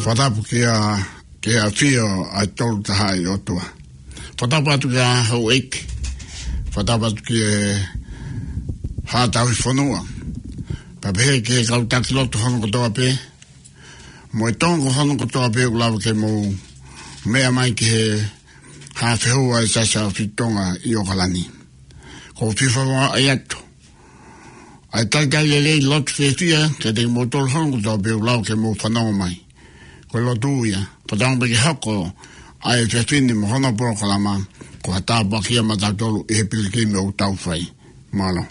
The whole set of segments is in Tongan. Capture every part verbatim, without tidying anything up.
Fakatapu ki he, ki he ʻafio ʻa e Tolu Tahaʻi ʻOtua. Fakatapu atu ki he houʻeiki. Fakatapu atu ki he Haʻa Tauhi Fonua. Pea pehē ki he kau taki lotu hono kotoa pē. Mo e Tonga hono kotoa pē ʻoku lava ke mou meʻa mai ki he Haʻafehua ʻa e Siasi ʻAhofitu Tonga ʻi ʻOkalani. ʻOku ou fie fakamaʻu atu ʻa e talitali lelei, lotu fiefia kiate kimoutolu hono kotoa pē ʻoku lava ke mou fanongo mai. Ko e lotu ia, fakatauange pē ke hoko ʻa e efiafi ni mo hono polokalama ko ha tāpuaki ia maʻatautolu ʻi he pilikimi ʻoku tau fai. Mālō.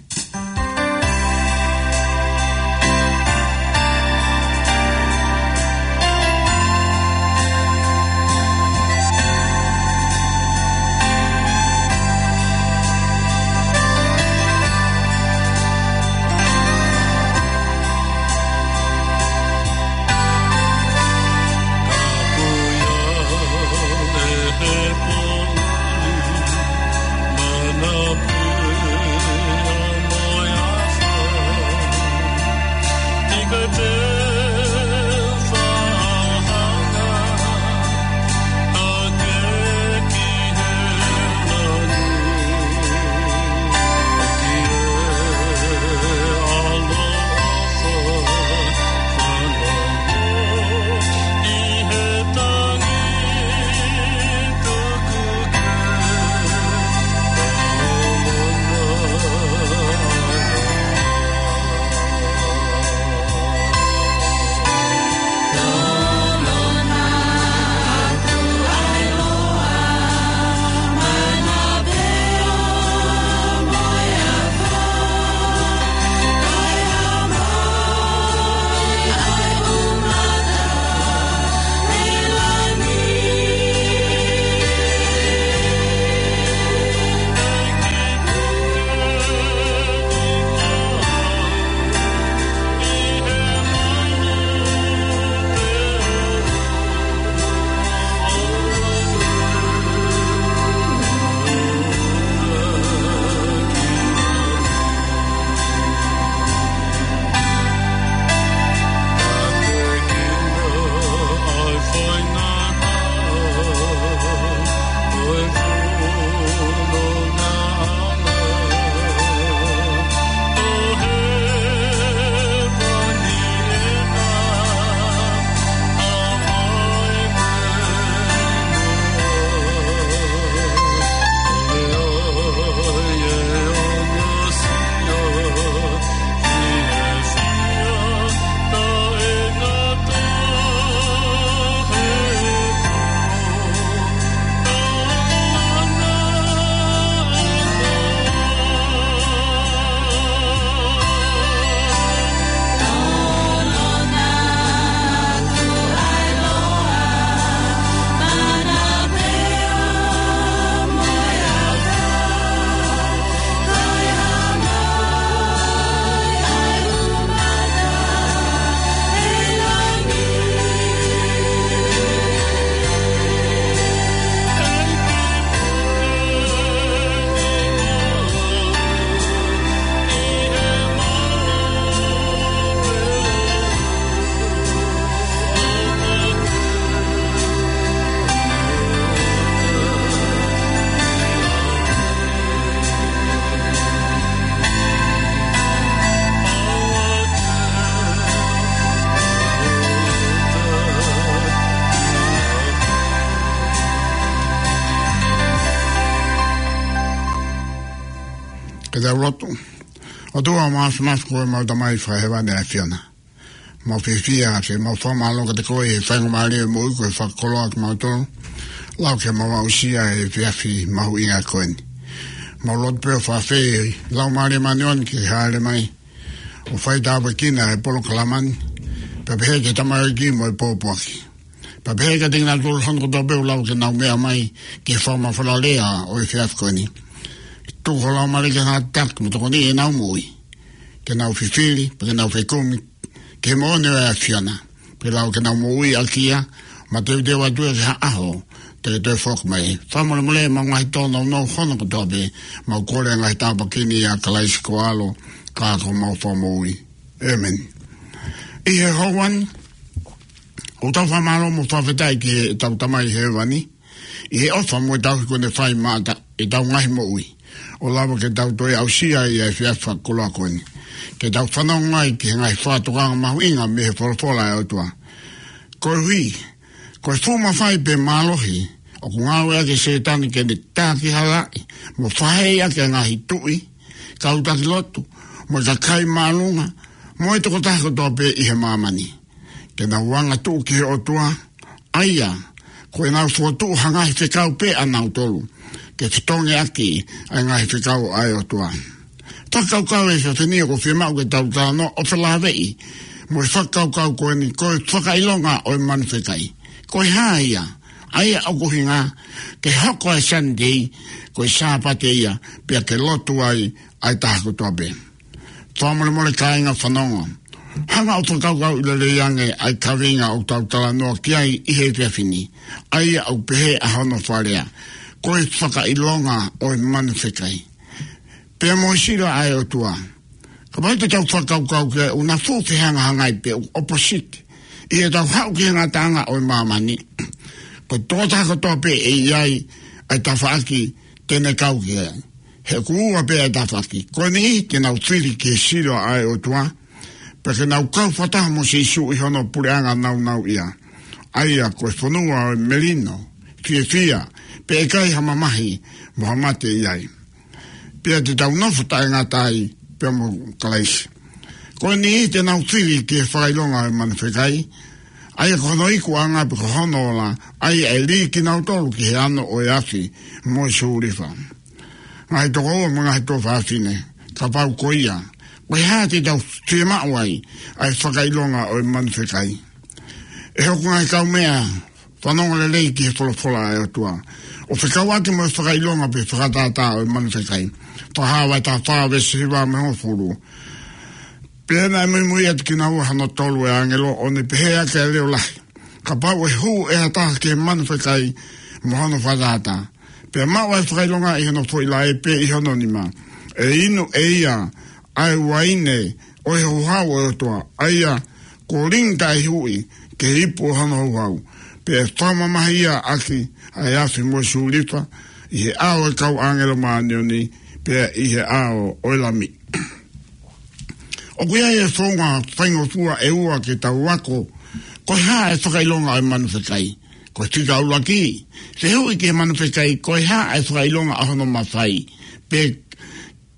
Ke tau lotu. ʻOtua māfimafi, ko homau Tamai fakahēvani ʻa e ʻAfiona. Mau fiefia ke mau fakamālō kiate koe he faingamālie ʻo e moʻui kuo ke fakakoloa kimautolu. Lava ke mau aʻusia e efiafi mahuʻinga ko eni. Mau lotu pē ʻo fakaafeʻi Laumālie Māʻoniʻoni ke hāʻele mai ʻo fai tāpuekina e polokalama ni. Pea pehē ki he tamaioʻeiki mo e pōpoaki. Pea pehē kiate kinautolu hono kotoa pē ʻoku lava ke nau meʻa mai ki he fakamafola lea ʻo e efiafi ko eni. Tuku ho Laumālie ke ngāue ʻaki mo tokoniʻi ʻenau moʻui. Ke nau fifili, pea ke nau fekumi ki he moʻoni ʻo e ʻAfiona. Pea lava ke nau moʻui ʻaki ia, mateuteu atu ia ki ha ʻaho te ke toe foki mai. Fakamolemole ʻemau ngaahi tōnounou hono kotoa pē, mau kole ʻa e ngaahi tāpuaki ni ʻia Kalaisi ko ho ʻAlo, ka ko homau Fakamoʻui. ʻĒmeni. ʻI he houa ni, ʻOku tau fakamālō mo fakafetaʻi ki heʻetau Tamai Hēvani ʻi he ʻofa mo e tauhi kuo ne fai maʻa ʻetau ngaahi moʻui, ʻo lava ke tau toe aʻusia ʻa e efiafi fakakoloa ko eni ke tau fanongo ai ki he ngaahi fakatokanga mahuʻinga mei he folofola ʻa e ʻOtua. Koeʻuhi ko e fuʻu mafai pea mālohi ʻoku ngāueʻaki ʻe Sētane ke ne tākihalaʻi mo faheiʻaki ʻa e ngaahi tuʻi, kau taki lotu, mo e kakai māʻolunga, mo e tokotaha kotoa pē ʻi he māmani, ke nau angatuʻu ki he ʻOtua, ʻa ia ko ʻenau fokotuʻu ha ngaahi fekau pē ʻanautolu ke fetongi ʻaki ʻa e ngaahi fekau ʻa e ʻOtua. Fakakaukau ʻi he efiafi ni ʻoku fiemaʻu ke tau talanoa ʻo felāveʻi mo e fakakaukau ko eni, ko e fakaʻilonga ʻo e manu fekai. Ko e hā ia? ʻA ia ʻoku ʻuhinga ke hoko ʻa e Sunday ko e Sāpate ia, pea ke lotu ai ʻa e taha kotoa pē. Fakamolemole kāinga fanongo, hanga ʻo fakakaukauʻi lelei ange ʻa e kaveinga ʻoku tau talanoa ki ai ʻi he efiafi ni, ʻa ia ʻoku pehē ʻa hono fakalea, ko e fakaʻilonga ʻo e manu fekai pea mo e sila ʻa e ʻOtua. Kapau te tau fakakaukau ki ai, ʻoku na fuʻu fehangahangai pē, ʻoku opposite ʻi heʻetau haʻu ki he ngataʻanga ʻo e māmani. Ko e tokotaha kotoa pē ʻe ʻi ai ʻa e tafaʻaki te ne kau ki ai. He ʻoku ua pē ʻa e tafaʻaki. Ko e niʻihi te nau fili ki he sila ʻa e ʻOtua, pea ke nau kau fakataha mo Sīsū ʻi hono puleʻanga nāunauʻia, ʻa ia ko e fonua ʻo e melino, fiefia, pea ʻikai ha mamahi mo ha mate ʻi ai, pea te tau nofo taʻengata ai pea mo Kalaisi. Ko e niʻihi te nau fili ki he fakaʻilonga ʻo e manu fekai, ʻa ia ko hono ikuʻanga pe ko hono ola, ʻa ia ʻe lī kinautolu ki he ano ʻo e afi mo e sūlifa. Ngaahi tokoua mo e ngaahi tuofāfine, kapau ko ia, ko e hā te tau fiemaʻu ai ʻa e fakaʻilonga ʻo e manu fekai? ʻE hoku ngaahi kaumeʻa, fanongo lelei ki he folofola ʻa e ʻOtua, ʻo fekauʻaki mo e fakaʻilonga pe fakatātā ʻo e manu fekai. Fakahā vahe taha fā veesi hiva mo e hongofulu: Pea naʻe muimui atu kinaua hono tolu ʻa e ʻāngelo, ʻo ne pehē ʻaki ʻa e leʻo lahi: Kapau ʻe hū ʻe ha taha ki he manu fekai mo hono fakatātā, pea maʻu ʻa e fakaʻilonga ʻi hono foʻi laʻe pe ʻi hono nima, ʻe inu ʻe ia ʻa e uaine ʻo e houhau ʻo e ʻOtua, ʻa ia kuo lingi taʻehuʻi ki he ipu ʻo hono houhau, pea ʻe fakamamahiʻi ia ʻaki ʻa e afi mo e sūlifa, ʻi he ʻao ʻo e kau ʻāngelo māʻoniʻoni, pea ʻi he ʻao ʻo e Lami. ʻOku ʻi ai e founga faingofua ʻe ua ke tau ako ko e hā e fakaʻilonga ʻo e manu fekai. Ko e fika ʻuluaki, fehuʻi ki he manu fekai, ko e hā e fakaʻilonga ʻo hono mafai, pe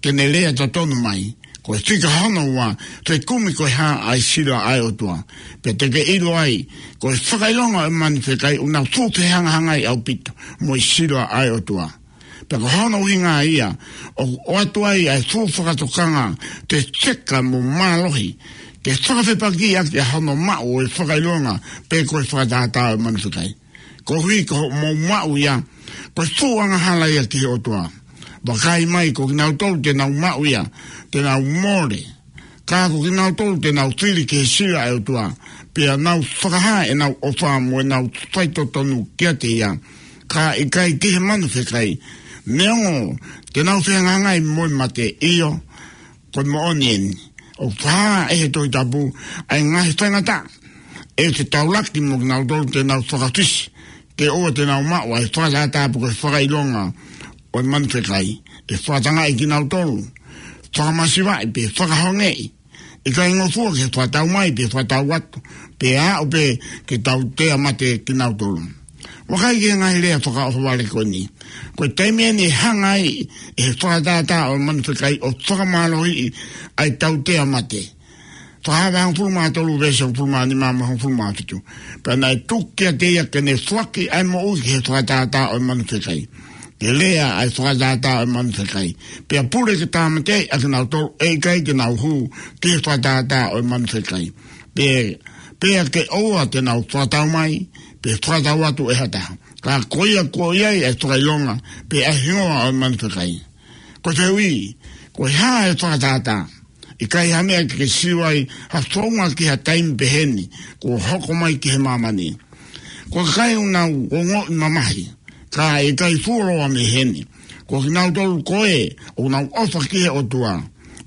ke ne lea totonu mai. Ko e fika hono ua, fekumi ko e hā ʻa e sila ʻa e ʻOtua, pea te ke ʻilo ai ko e fakaʻilonga ʻo e manu fekai ʻoku na fuʻu fehangahangai ʻaupito mo e sila ʻa e ʻOtua. Pea ko hono ʻuhinga ia ʻoku ʻoatu ai ʻa e fuʻu fakatokanga tefeka mo mālohi ke fakafepakiʻi ʻaki ʻa hono maʻu ʻo e fakaʻilonga pe ko e fakatātā ʻo e manu fekai. Koeʻuhi ko hoʻomou maʻu ia, ko e fuʻu angahala ia ki he ʻOtua. Vakai mai, ko kinautolu te nau maʻu ia, te nau mole. Ka ko kinautolu te nau fili ki he sila ʻa e ʻOtua, pea nau fakahā ʻenau ʻofa mo ʻenau faitotonu kiate ia, ka ʻikai ki he manu fekai, neongo te nau fehangahangai mo e mate, ʻio, ko e moʻoni eni. ʻOku fakahā ʻe he Tohi Tapu ʻa e ngaahi faingataʻa ʻe taulaki mo kinautolu te nau fakafisi, ke ʻoua te nau maʻu ʻa e fakatātā pe ko e fakaʻilonga ʻo e manu fekai. ʻE fakatangaʻi kinautolu, fakamasivaʻi pe fakahongeʻi, ʻikai ngofua ki he fakatau mai pe fakatau atu, pe aʻu pē ke tautea mate kinautolu. Vakai ki he ngaahi lea fakaʻohovale ko eni. Ko e taimi eni ʻe hanga ai ʻe he fakatātā ʻo e manu fekai ʻo fakamālohiʻi ʻa e tautea mate. Fakahā vahe hongofulu mā tolu veesi hongofulu mā nima mo e hongofulu mā fitu: Pea naʻe tuku kiate ia ke ne foaki ʻa e moʻui ki he fakatātā ʻo e manu fekai, ke lea ʻa e fakatātā ʻo e manu fekai, pea pule ke tāmateʻi ʻa kinautolu ʻe ʻikai te nau hū ki he fakatātā ʻo e manu fekai, pea, pea ke ʻoua te nau fakatau mai pe fakatau atu ʻe ha taha. Ka ko ia kuo ʻi ai ʻa e fakaʻilonga pe ʻa e hingoa ʻo e manu fekai. Ko e fehuʻi, ko e hā e fakatātā? ʻIkai ha meʻa ke ke sio ai ha founga ki ha taimi peheni kuo hoko mai ki he māmani. Ko e kakai ʻoku nau ongoʻi mamahi, ka ʻe ʻikai fuoloa mei heni, ko kinautolu ko ē ʻoku nau ʻofa ki he ʻOtua,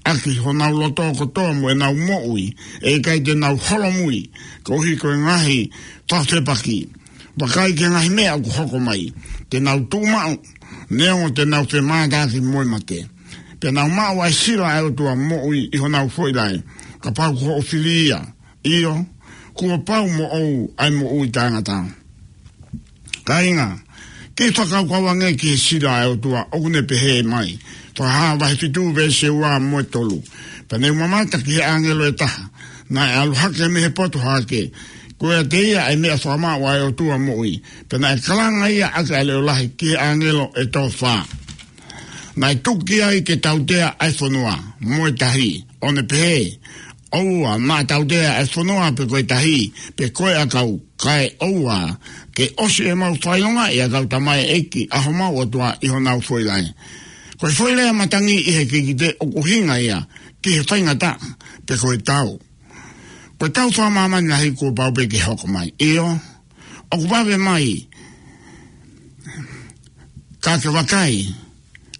ʻaki honau loto kotoa mo ʻenau moʻui, ʻe ʻikai te nau holomui koeʻuhi ko e ngaahi fakafepaki. Vakai ki he ngaahi meʻa ʻoku hoko mai, te nau tuʻu maʻu, neongo te nau femātaaki mo e mate. Pea nau maʻu ʻa e sila ʻa e ʻOtua moʻui ʻi honau foʻi laʻe, kapau ko hoʻo fili ia. ʻIo, kuo pau moʻou ʻa e moʻui taʻengata. Kāinga, ke fakakaukau ange ki he sila ʻa e ʻOtua ʻoku ne pehē mai. Fakahā vahe fitu veesi ua mo e tolu. Pea ne u mamata ki he ʻāngelo ʻe taha, naʻe ʻalu hake mei he poto hake, ko ia ʻiate ia ʻa e meʻa fakamaʻu ʻa e ʻOtua moʻui. Pea naʻe kalanga ia ʻaki ʻa e leʻo lahi ki he ʻāngelo ʻe toko fā, naʻe tuku ai ke tautea ʻa e fonua mo e tahi, ʻo ne pehē, ʻOua naʻa tautea ʻa e fonua pe ko e tahi, pe ko e ʻakau, kae ʻoua ke ʻosi ʻemau fakaʻilongaʻi ʻa e kau tamaioʻeiki ʻa homau ʻOtua ʻi honau foʻi laʻe. Ko e foʻi lea matangi ʻi he kikite ʻoku ʻuhinga ia ki he faingataʻa pe ko e tau. Ko e tau fakamāmani lahi kuo pau pē ke hoko mai. ʻIo, ʻoku vave mai, ka ke vakai,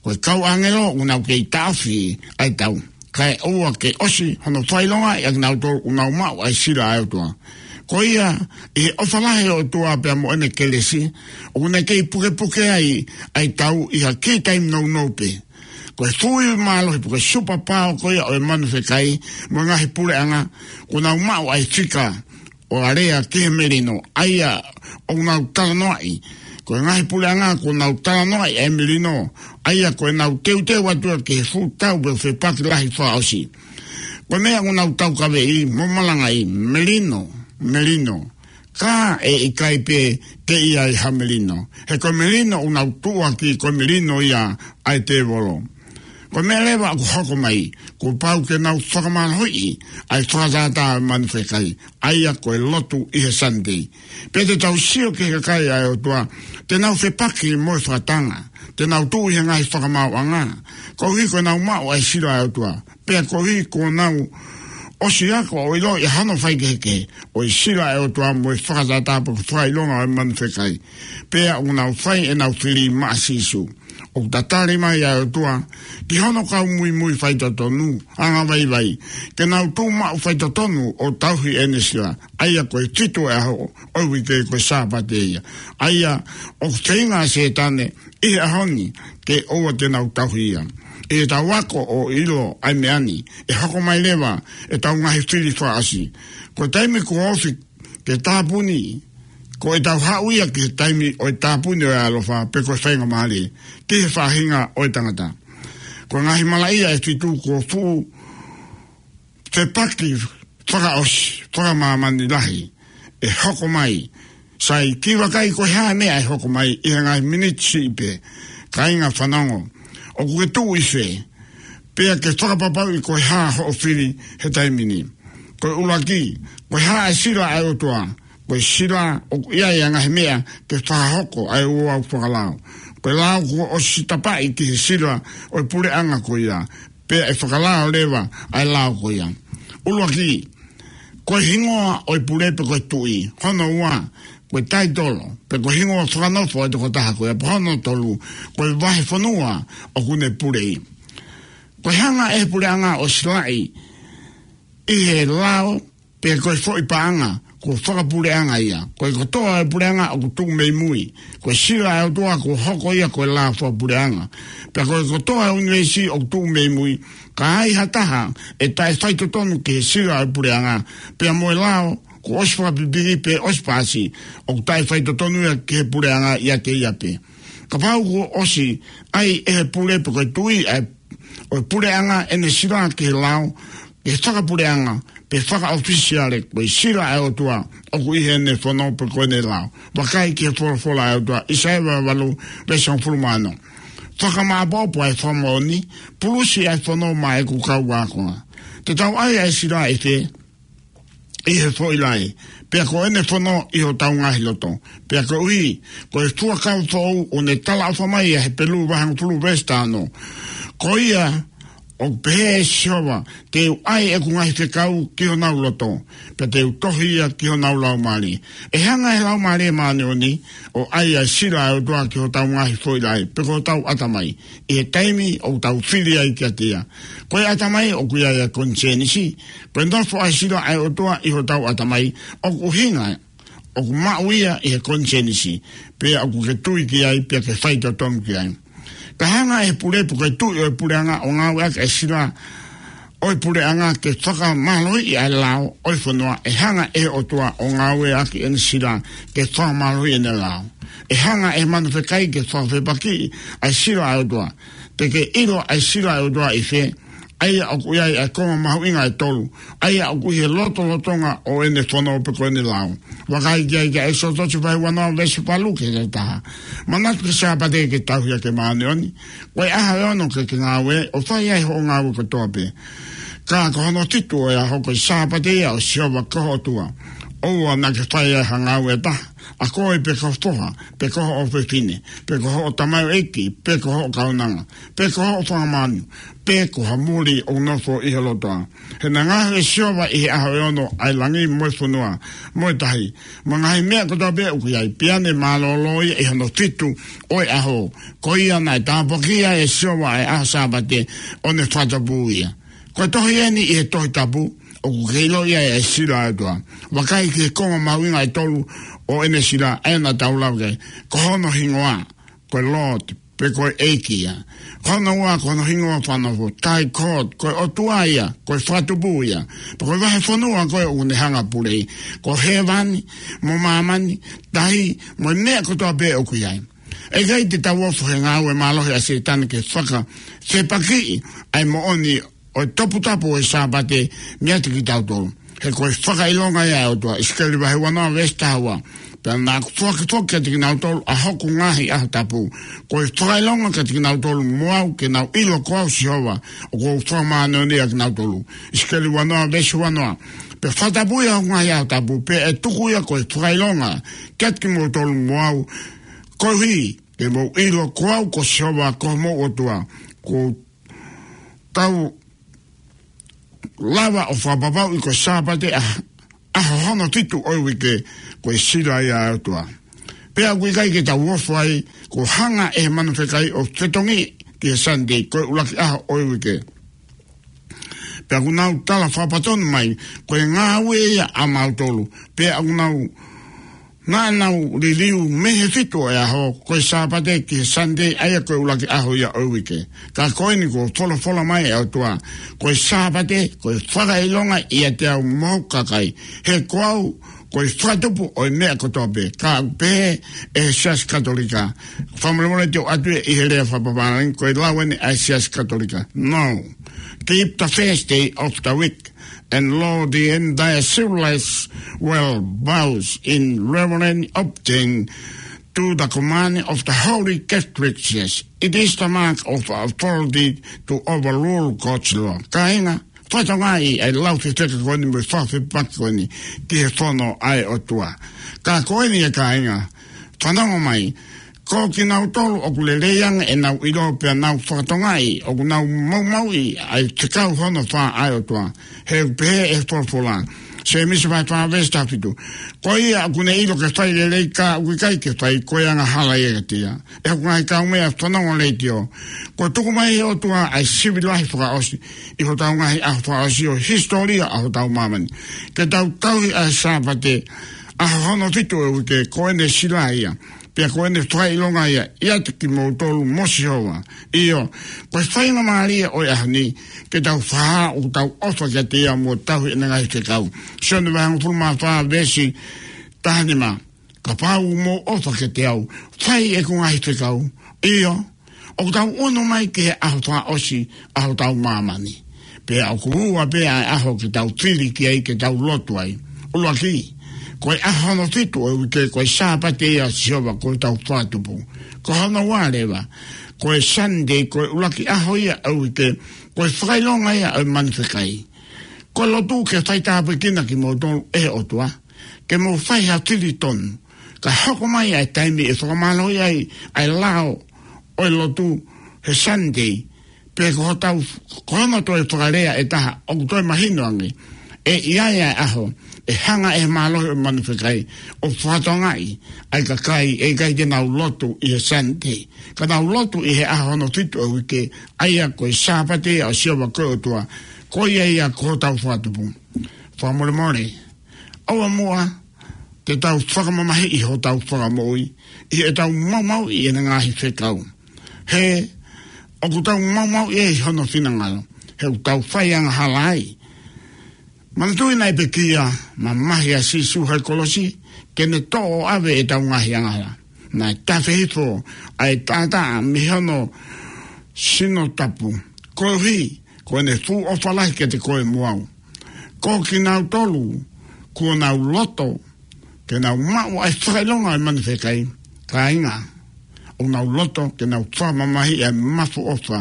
ko e kau ʻāngelo ʻoku nau kei taʻofi ʻa e tau, kae ʻoua ke ʻosi hono fakaʻilongaʻi ʻa kinautolu ʻoku nau maʻu ʻa e sila ʻa e ʻOtua. Ko ia, ʻi he ʻofa lahi ʻa e ʻOtua pea mo ʻene kelesi, ʻoku ne kei pukepuke ai ʻa e tau ʻi ha kiʻi taimi nounou pē. Ko e fuʻu ivi mālohi pe ko e superpower ko ia ʻo e manu fekai mo e ngaahi puleʻanga, ʻoku nau maʻu ʻa e fika ʻo alea ki he melino, ʻa ia ʻoku nau talanoaʻi. Ko e ngaahi puleʻanga ʻoku nau talanoaʻi ʻa e melino, ʻa ia ko ʻenau teuteu atu ia ki he fuʻu tau pe fepaki lahi fakaʻosi. Ko e meʻa ʻoku nau taukaveʻi mo malangaʻi, melino, melino. Ka ʻe ʻikai pē ke ʻi ai ha melino. He ko e melino ʻoku nau tuʻuaki, ko e melino ia ʻa e tēvolo. Ko e meʻa leva ʻoku hoko mai, kuo pau ke nau fakamālohiʻi ʻa e fakatātā ʻo e manu fekai, ʻa ia ko e lotu ʻi he Sunday. Pea te tau sio ki he kakai ʻa e ʻOtua, te nau fepaki mo e fakatanga, te nau tuʻu ʻi he ngaahi fakamaauʻanga, koeʻuhi ko ʻenau maʻu ʻa e sila ʻa e ʻOtua. Pea koeʻuhi kuo nau ʻosi ako ʻo ʻiloʻi ʻa hono faikehekehe ʻo e sila ʻa e ʻOtua mo e fakatātā pe ko e fakaʻilonga ʻo e manu fekai. Pea ʻoku nau fai ʻenau fili maʻa Sīsū. ʻOku tatali mai ʻa e ʻOtua ki hono kau muimui faitotonu, angavaivai, ke nau tuʻu maʻu faitotonu ʻo tauhi ʻene sila, ʻa ia ko e fitu ʻo e ʻaho ʻo e uike ko e Sāpate ia. ʻA ia ʻoku feinga ʻa Sētane ʻi he ʻaho ni ke ʻoua te nau tauhi ia. ʻI heʻetau ako ʻo ʻilo ʻa e meʻa ni, ʻe hoko mai leva ʻetau ngaahi fili fakaʻosi. Ko e taimi kuo ofi ke tāpuni, ko ʻetau haʻu ia ki he taimi ʻo e tāpuni ʻo e ʻaloʻofa pe ko e faingamālie ki he faʻahinga ʻo e tangata. Ko e ngaahi malaʻia ʻe fitu kuo fuʻu fepaki fakaʻosi, fakamāmani lahi, ʻe hoko mai. Sai, kiʻi vakai ko e hā e meʻa ʻe hoko mai ʻi he ngaahi miniti siʻi pē. Kāinga fanongo, ʻoku ke tuʻu ʻi fē? Pea ke fakapapauʻi ko e hā hoʻo fili he taimi ni. Ko e ʻuluaki, ko e hā e sila ʻa e ʻOtua? Ko e sila ʻoku ʻi ai ʻa e ngaahi meʻa ke fakahoko ʻa e ouau fakalao. Ko e lao kuo ʻosi tapaʻi ki he sila ʻo e puleʻanga ko ia. Pea ʻe fakalao leva ʻa e lao ko ia. ʻUluaki, ko e hingoa ʻo e pule pe ko e tuʻi. Hono ua, ko e taitolo pe ko e hingoa fakanofo ʻo e tokotaha ko ia. Pea hono tolu, ko e vahefonua ʻoku ne puleʻi. Ko e hanga ʻe he puleʻanga ʻo silaʻi ʻi he lao pe ko e foʻi paʻanga, ko e fakapuleʻanga ia. Ko e kotoa e puleʻanga ʻoku tuʻu mei mui. Ko e sila ʻa e ʻOtua kuo hoko ia ko e lao fakapuleʻanga. Pea ko e kotoa e ʻunivēsi ʻoku tuʻu mei mui. Ka ai ha taha ʻe taʻefaitotonu ki he sila ʻo e puleʻanga, pea mo e lao kuo ʻosi fakapipiki pe ʻosi pasi, ʻoku taʻefaitotonu ia ki he puleʻanga ʻiate ia pē. Kapau kuo ʻosi ʻai ʻe he pule pe ko e tuʻi ʻa e ʻo e puleʻanga ʻene sila ki he lao, ki he fakapuleʻanga, pe fakaʻofisiale, ko e sila ʻa e ʻOtua ʻoku ʻi heʻene fono pe ko ʻene lao. Vakai ki he folofola ʻa e ʻOtua, ʻAisea vahe valu, veesi hongofulu mā ono. Fakamāʻopoʻopo ʻa e fakamoʻoni, pulusi ʻa e fono maʻa ʻeku kau ākonga. Te tau ʻai ʻa e sila ʻi fē? ʻI he foʻi laʻe, pea ko ʻene fono ʻi hotau ngaahi loto. Pea koeʻuhi ko e fuakava foʻou ʻoku ne talaʻofa mai ʻa Hepelū vahe hongofulu veesi taha ono. Ko ia ʻOku pehē ʻe Sihova, te u ʻai ʻeku ngaahi fekau ki honau loto, pea te u tohi ia ki honau laumālie. ʻE hanga ʻe he Laumālie Māʻoniʻoni ʻo ʻai ʻa e sila ʻa e ʻOtua ki hotau ngaahi foʻi laʻe, pe ko hotau ʻatamai, ʻi he taimi ʻoku tau fili ai kiate ia. Ko e ʻatamai ʻoku ʻi ai ʻa e konisēnisi, ko e nofo ʻa e sila ʻa e ʻOtua ʻi hotau ʻatamai, ʻoku ʻuhinga ʻoku maʻu ia ʻi he konisēnisi, pea ʻoku ke tui ki ai, pea ke faitotonu ki ai. Ka hanga ʻe he pulepu ko e tuʻi ʻo e puleʻanga ʻo ngāueʻaki ʻa e sila ʻo e puleʻanga ke fakamālohiʻi ʻa e lao ʻo e fonua, ʻe hanga ʻe he ʻOtua ʻo ngāueʻaki ʻene sila ke fakamālohiʻi ʻene lao. ʻE hanga ʻe he manu fekai ke fakafepakiʻi ʻa e sila ʻa e ʻOtua. Te ke ʻilo ʻa e sila ʻa e ʻOtua ʻi fē? ʻA ia ʻoku ʻi ai ʻa e konga mahuʻinga ʻe tolu, ʻa ia ʻoku ʻi he lotolotonga ʻo ʻene fono pe ko ʻene lao. Vakai ki ai ki ʻEkisoto vahe uanoa veesi valu ki he taha. Manatu ki he Sāpate ke tauhi ʻaki e māʻoniʻoni. Ko e ʻaho ʻe ono ke ke ngāue ʻo fai ai hoʻo ngāue kotoa pē. Ka ko hono fitu ʻo e ʻaho ko e Sāpate ia ʻo Sihova ko ho ʻOtua. ʻOua naʻa ke fai ai ha ngāue ʻe taha, ʻa koe pe ko ho foha, pe ko ho ʻofefine, pe ko hoʻo tamaioʻeiki, pe ko hoʻo kaunanga, pe ko hoʻo fanga manu, pe ko ha muli ʻoku nofo ʻi ho lotoa. He naʻe ngaohi ʻe Sihova ʻi he ʻaho ʻe ono ʻa e langi mo e fonua, mo e tahi, mo e ngaahi meʻa kotoa pē ʻoku ʻi ai, pea ne mālōlō ia ʻi hono fitu ʻo e ʻaho. Ko ia naʻe tāpuakiʻi ai ʻe Sihova ʻa e ʻaho Sāpate ʻo ne fakatupu ia. Ko e tohi eni ʻi he Tohi Tapu, ʻoku ke ʻilo ai ʻa e sila ʻa e ʻOtua. Vakai ki he konga mahuʻinga ʻe tolu ʻo ʻene sila, ʻa ia naʻa tau lau ki ai. Ko hono hingoa, ko e Lord, pe ko e ʻEiki ia. Ko hono ua, ko hono hingoa fakanofo, Thy God, ko e ʻOtua ia, ko e Fakatupu ia. Pea ko e vahefonua ko ē ʻoku ne hanga ʻo puleʻi, ko hēvani, mo māmani, tahi, mo e meʻa kotoa pē ʻoku ʻi ai. ʻE ʻikai te tau ofo he ngāue mālohi ʻa Sētane ke fakafepakiʻi ʻa e moʻoni ʻo e toputapu ʻo e Sāpate meiate kitautolu. He ko e fakaʻilonga ia ʻa e ʻOtua, ʻIsikeli vahe uanoa veesi taha ua. Pea naʻa ku foaki foki kiate kinautolu ʻa hoku ngaahi ʻaho tapu. Ko e fakaʻilonga kiate kinautolu mo au ke nau ʻilo ko au Sihova, ʻoku ou fakamāʻoniʻoniʻi ʻa kinautolu. ʻIsikeli uanoa veesi uanoa. Pea fakatapui ʻa hoku ngaahi ʻaho tapu, pea ʻe tuku ia ko e fakaʻilonga kiate kimoutolu mo au, koeʻuhi ke mou ʻilo ko au ko Sihova ko homou ʻOtua, kuo tau lava ʻo fakapapauʻi ko e Sāpate ʻa, ʻaho hono fitu ʻo e uike, ko e sila ia ʻa e ʻOtua. Pea ʻoku ʻikai ke tau ofo ai, kuo hanga ʻe he manu fekai ʻo fetongi ki he Sunday, ko e ʻuluaki ʻaho ʻo e uike. Pea ʻoku nau tala fakapatonu mai, ko e ngāue ia ʻamautolu. Pea ʻoku nau, naʻa nau liliu mei he fitu ʻo e ʻaho, ko e Sāpate ki he Sunday, ʻa ia ko e ʻuluaki ʻaho ia ʻo e uike. Ka ko eni kuo folofola mai ʻe he ʻOtua, ko e Sāpate, ko e fakaʻilonga ʻiate au mo hoku kakai. He ko au, ko e Fakatupu ʻo e meʻa kotoa pē. Ka ʻoku pehē ʻe he Siasi Katolika. Fakamolemole te u ʻoatu ʻi he lea fakapapālangi, ko e lau eni ʻa e Siasi Katolika. No. Keep the first day of the week, and laud the entire civilized world bows in reverent obedience to the command of the Holy Catholic Church. It is the mark of authority to overrule God's law. Kāinga, fakatokangaʻi ʻa e lau fefeka ko eni mo e fakafepaki ko eni ki he fono ʻa e ʻOtua. Ka ko eni ʻe kāinga, fanongo mai, ko kinautolu ʻoku lelei ange ʻenau ʻilo pea nau fakatokangaʻi ʻoku nau maumauʻi ʻa e fekau hono fā ʻa e ʻOtua. He ʻoku pehē ʻe he folofola, Sēmisi vahe fā veesi taha fitu. Ko ia ʻoku ne ʻilo ke fai lelei ka ʻoku ʻikai ke fai, ko e angahala ia kiate ia. ʻE hoku ngaahi kaumeʻa fanongo leitiō, kuo tuku mai ʻe he ʻOtua ʻa e sivi lahi fakaʻosi ʻi hotau ngaahi ʻaho fakaʻosi ʻo e hisitōlia ʻa hotau māmani, ke tau tauhi ʻa e Sāpate, ʻaho hono fitu ʻo e uike, ko ʻene sila ia, pea ko ʻene fakaʻilonga ia ʻiate kimoutolu mo Sihova. ʻIo, ko e faingamālie ʻo e ʻaho ni ke tau fakahā ʻoku tau ʻofa kiate ia mo tauhi ʻene ngaahi fekau. Sione vahe hongofulu mā fā veesi taha nima. Kapau ʻoku mou ʻofa kiate au, fai ʻeku ngaahi fekau. ʻIo, ʻoku tau ʻunu mai ki he ʻaho fakaʻosi ʻa hotau māmani. Pea ʻoku ua pē ʻa e ʻaho ke tau fili ki ai ke tau lotu ai. ʻUluaki, ko e ʻaho hono fitu ʻo e uike, ko e Sāpate ia ʻa Sihova ko hotau Fakatupu. Ko hono ua leva, ko e Sunday, ko e ʻuluaki ʻaho ia ʻo e uike, ko e fakaʻilonga ia ʻo e manu fekai. Ko e lotu ke faitāpuekina kimoutolu ʻe he ʻOtua, ke mou fai ha fili tonu. Ka hoko mai ʻa e taimi ʻe fakamālohi ai ʻa e lao ʻo e lotu he Sunday, Pea ko hotau, ko hono toe fakalea ʻe taha, ʻoku toe mahino ange ʻe ʻi ai ʻa e ʻaho ʻe hanga ʻe he mālohi ʻo e manu fekai ʻo fakatokangaʻi ʻa e kakai ʻe ʻikai te nau lotu ʻi he Sāpate, ka nau lotu ʻi he ʻaho hono fitu ʻo e uike, ʻa ia ko e Sāpate ia ʻo Sihova ko e ʻOtua, ko ia ia ko hotau Fakatupu. Fakamolemole, ʻoua muʻa te tau fakamamahiʻi hotau Fakamoʻui ʻi heʻetau maumauʻi ʻene ngaahi fekau. He ʻoku tau maumauʻi ʻi hono finangalo, he ʻoku tau faiangahala ai. Manatuʻi naʻe pekia mamahi ʻa Sīsū he kolosi ke ne toʻo ʻo ʻave ʻetau ngaahi angahala. Naʻe tafe hifo ʻa e taʻataʻa mei hono sino tapu, koeʻuhi ko ʻene fuʻu ʻofa lahi kiate koe mo au. Ko kinautolu kuo nau loto ke nau maʻu ʻa e fakaʻilonga ʻo e manu fekai, kāinga, ʻoku nau loto ke nau fakamamahiʻi ʻa e mafu ʻofa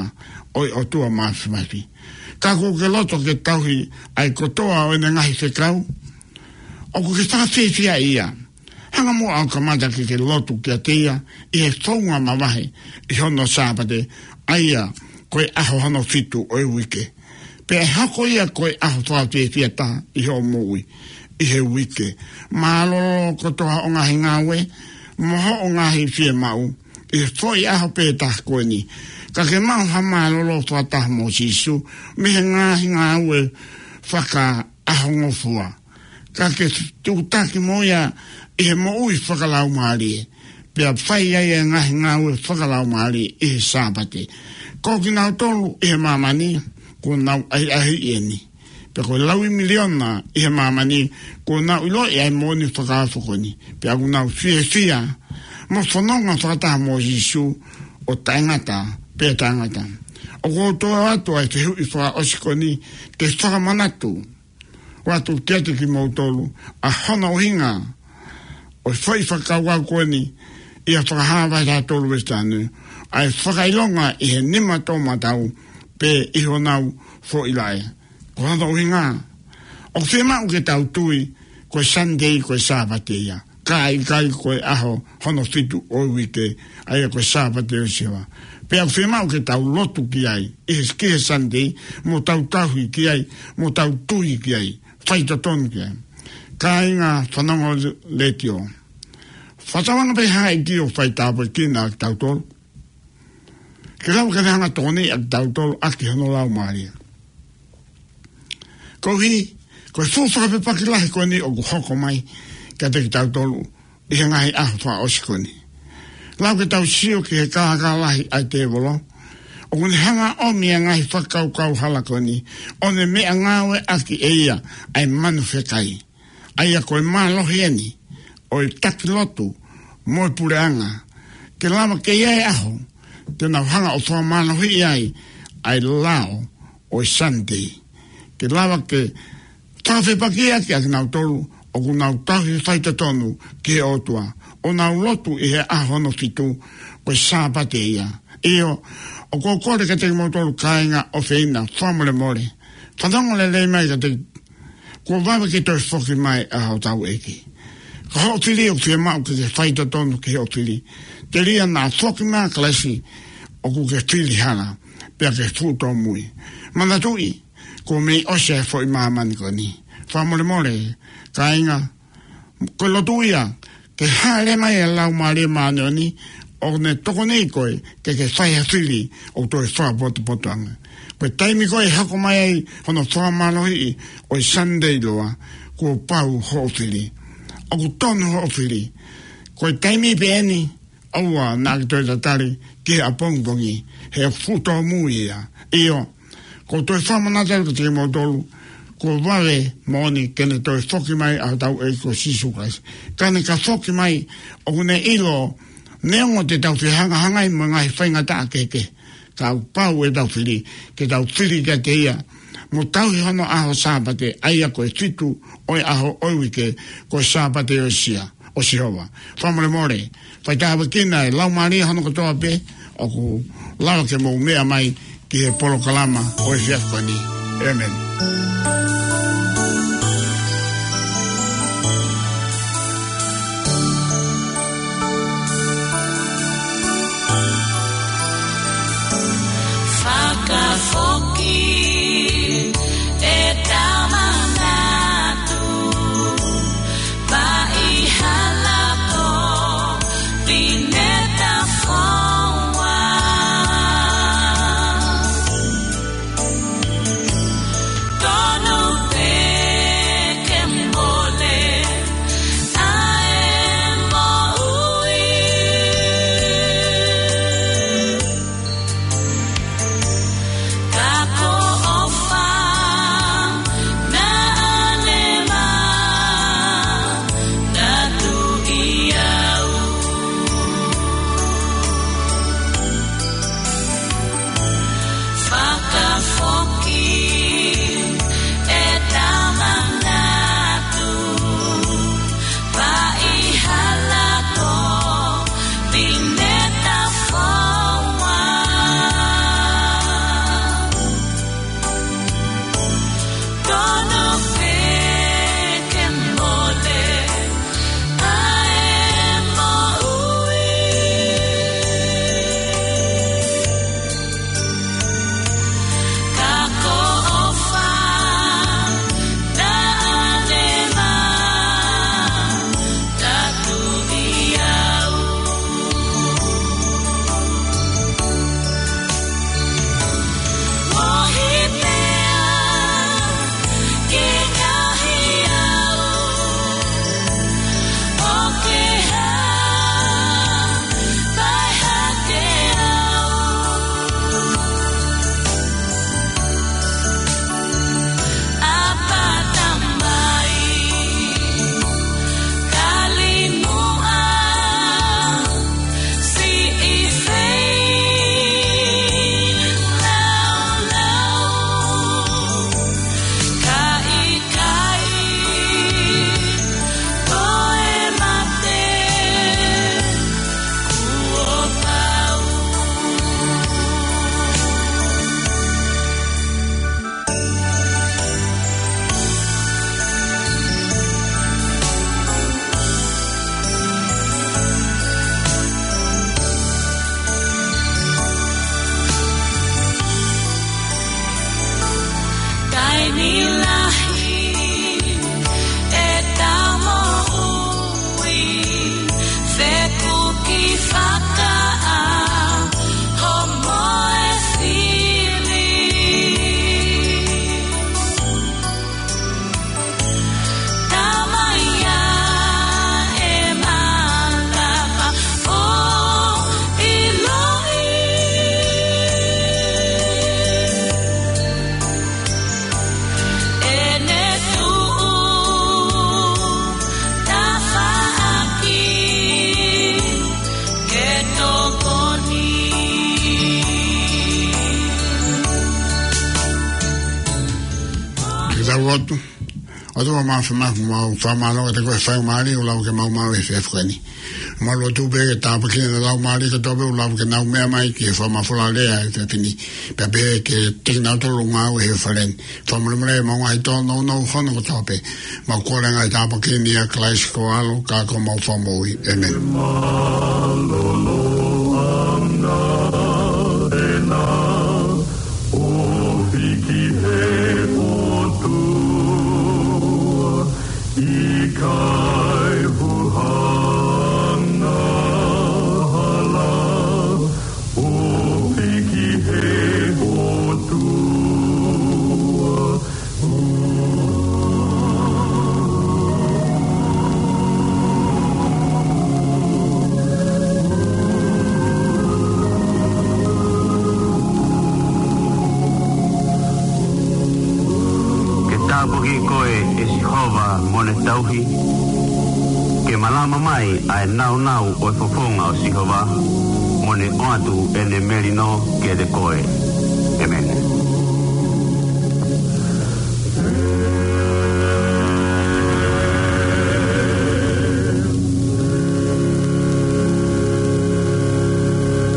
ʻo e ʻOtua Māfimafi. Ka ʻoku ke loto ke tauhi ʻa e kotoa ʻo ʻene ngaahi fekau? ʻOku ke fakafiefia ia? Hanga muʻa ʻo kamata ke ke lotu kiate ia ʻi he founga mavahe ʻi hono Sāpate, ʻa ia ko e ʻaho hono fitu ʻo e uike. Pea ʻe hoko ia ko e ʻaho fakafiefia taha ʻi hoʻo moʻui ʻi he uike. Mālōlō kotoa hoʻo ngaahi ngāue mo hoʻo ngaahi fiemaʻu ʻi he foʻi ʻaho pē taha ko eni. Ka ke maʻu ha mālōlō fakataha mo Sīsū mei he ngaahi ngāue fakaʻahongofua. Ka ke tuʻutaki mo ia ʻi he moʻui fakalaumālie, pea fai ai e ngaahi ngāue fakalaumālie ʻi he Sāpate. Ko kinautolu ʻi he māmani kuo nau ʻahiʻahiʻi eni, pea ko e laui miliona ʻi he māmani kuo nau ʻiloʻi ʻa e moʻoni fakaofo ko eni, pea kuo nau fiefia mo fononga fakataha mo Sīsū ʻo taʻengata pea taʻengata. ʻOku ou toʻo atu ʻa e fehuʻi fakaʻosi ko eni ke fakamanatu atu kiate kimoutolu ʻa hono ʻuhinga ʻo e foʻi fakakaukau ko eni ʻi he Fakahā vahe taha tolu veesi taha nima, ʻa e fakaʻilonga ʻi he nima toʻomataʻu pea ʻi honau foʻi laʻe. Ko hono ʻuhinga, ʻoku fiemaʻu ke tau tui ko e Sāpate, ko e Sāpate ia, ka ʻikai ko e ʻaho hono fitu ʻo e uike, ʻa ia ko e Sāpate ʻo Sihova. Pea ʻoku fiemaʻu ke tau lotu ki ai ʻi he, ki he Sāpate, mo tau tauhi ki ai, mo tau tui ki ai, faitotonu ki ai. Kāinga fanongo letiō, fakatauange pē ha ʻEiki ʻoku faitāpuekina kitautolu, ke lava ke ne hanga ʻo tokoniʻi kitautolu ʻaki hono Laumālie. Koeʻuhi ko e fuʻu fakafepaki lahi ko eni ʻoku hoko mai kiate kitautolu ʻi he ngaahi ʻaho fakaʻosi ko eni. Lava ke tau sio ki he kākā lahi ʻa e tēvolo, ʻoku ne hanga ʻo ʻomi ʻa e ngaahi fakakaukau hala ko eni, ʻo ne meʻangāueʻaki ʻe ia ʻa e manu fekai. ʻA ia ko e mālohi eni ʻo e taki lotu mo e puleʻanga, ke lava ke ʻi ai e ʻaho te nau hanga ʻo fakamālohiʻi ai ʻa e lao ʻo e Sāpate. Ke lava ke fakafepakiʻaki ʻa kinautolu ʻoku nau tauhi faitotonu ki he ʻOtua, ʻo nau lotu ʻi he ʻaho hono fitu, ko e Sāpate ia. ʻIo, ʻoku ou kole kiate kimoutolu kāinga ʻofeina, fakamolemole, fanongo lelei mai kiate, kuo vave ke toe foki mai ʻa hotau ʻEiki. Ko hoʻo fili ʻoku fiemaʻu ke ke faitotonu ki hoʻo fili. Telia naʻa foki mai ʻa Kalaisi, ʻoku ke fili hala, pea ke fuʻu tōmui. Manatuʻi, kuo mei ʻosi ʻa e foʻi māmani ko eni. Fakamolemole, kāinga, ko e lotu ia ke hāʻele mai e Laumālie Māʻoniʻoni, ʻo ne tokoniʻi koe ke ke fai ha fili ʻoku toe fakapotopoto ange. Ko e taimi ko ē ʻe hoko mai ai hono fakamālohiʻi ʻo e Sāpate ʻiloa, kuo pau hoʻo fili. ʻOku tonu hoʻo fili. Ko e taimi pē eni, ʻoua naʻa ke toe tatali ki he ʻapongipongi, he ʻoku fuʻu tōmui ia. ʻIo, ʻoku ou toe fakamanatu atu kiate kimoutolu, kuo vave moʻoni ke ne toe foki mai ʻa hotau ʻEiki ko Sīsū Kalaisi. Ka ne ka foki mai, ʻoku ne ʻilo, neongo te tau fehangahangai mo e ngaahi faingataʻa kehekehe, ka ʻoku pau ʻetau fili, ke tau fili kiate ia, mo tauhi hono ʻaho Sāpate, ʻa ia ko e fitu ʻo e ʻaho ʻo e uike, ko e Sāpate ʻo Sia, ʻo Sihova. Fakamolemole, faitāpuekina e Laumālie hono kotoa pē ʻoku lava ke mou meʻa mai ki he polokalama ʻo e efiafi ko eni. ʻĒmeni. Faka- ʻOtua, ʻOtua Māfimafi, mau fakamālō kiate koe he faingamālie ʻoku lau ke mau maʻu he efiafi ko eni. Mau lotu pē ke tāpuakiʻi ʻa e laumālie kotoa pē ʻoku lau ke nau meʻa mai ki he fakamafola lea he efiafi ni. Pea pehē kiate kinautolu ʻoku ngāue he fale ni. Fakamolemole ʻemau ngaahi tōnounou hono kotoa pē. Mau kole ngaahi tāpuaki ni ʻia Kalaisi ko ho ʻAlo, ka ko homau Fakamoʻui. ʻĒmeni. Mālōlō ʻana ena ʻo hiki he ʻOtua, ʻikai huhanga hala ʻo hiki he ʻOtua. Ke tāpuakiʻi koe ʻe Sihova mo ne tauhi. Ke malama mai ʻa e nāunau ʻo e fofonga ʻo Sihova, mo ne ʻoatu ʻene melino kiate koe. ʻĒmeni.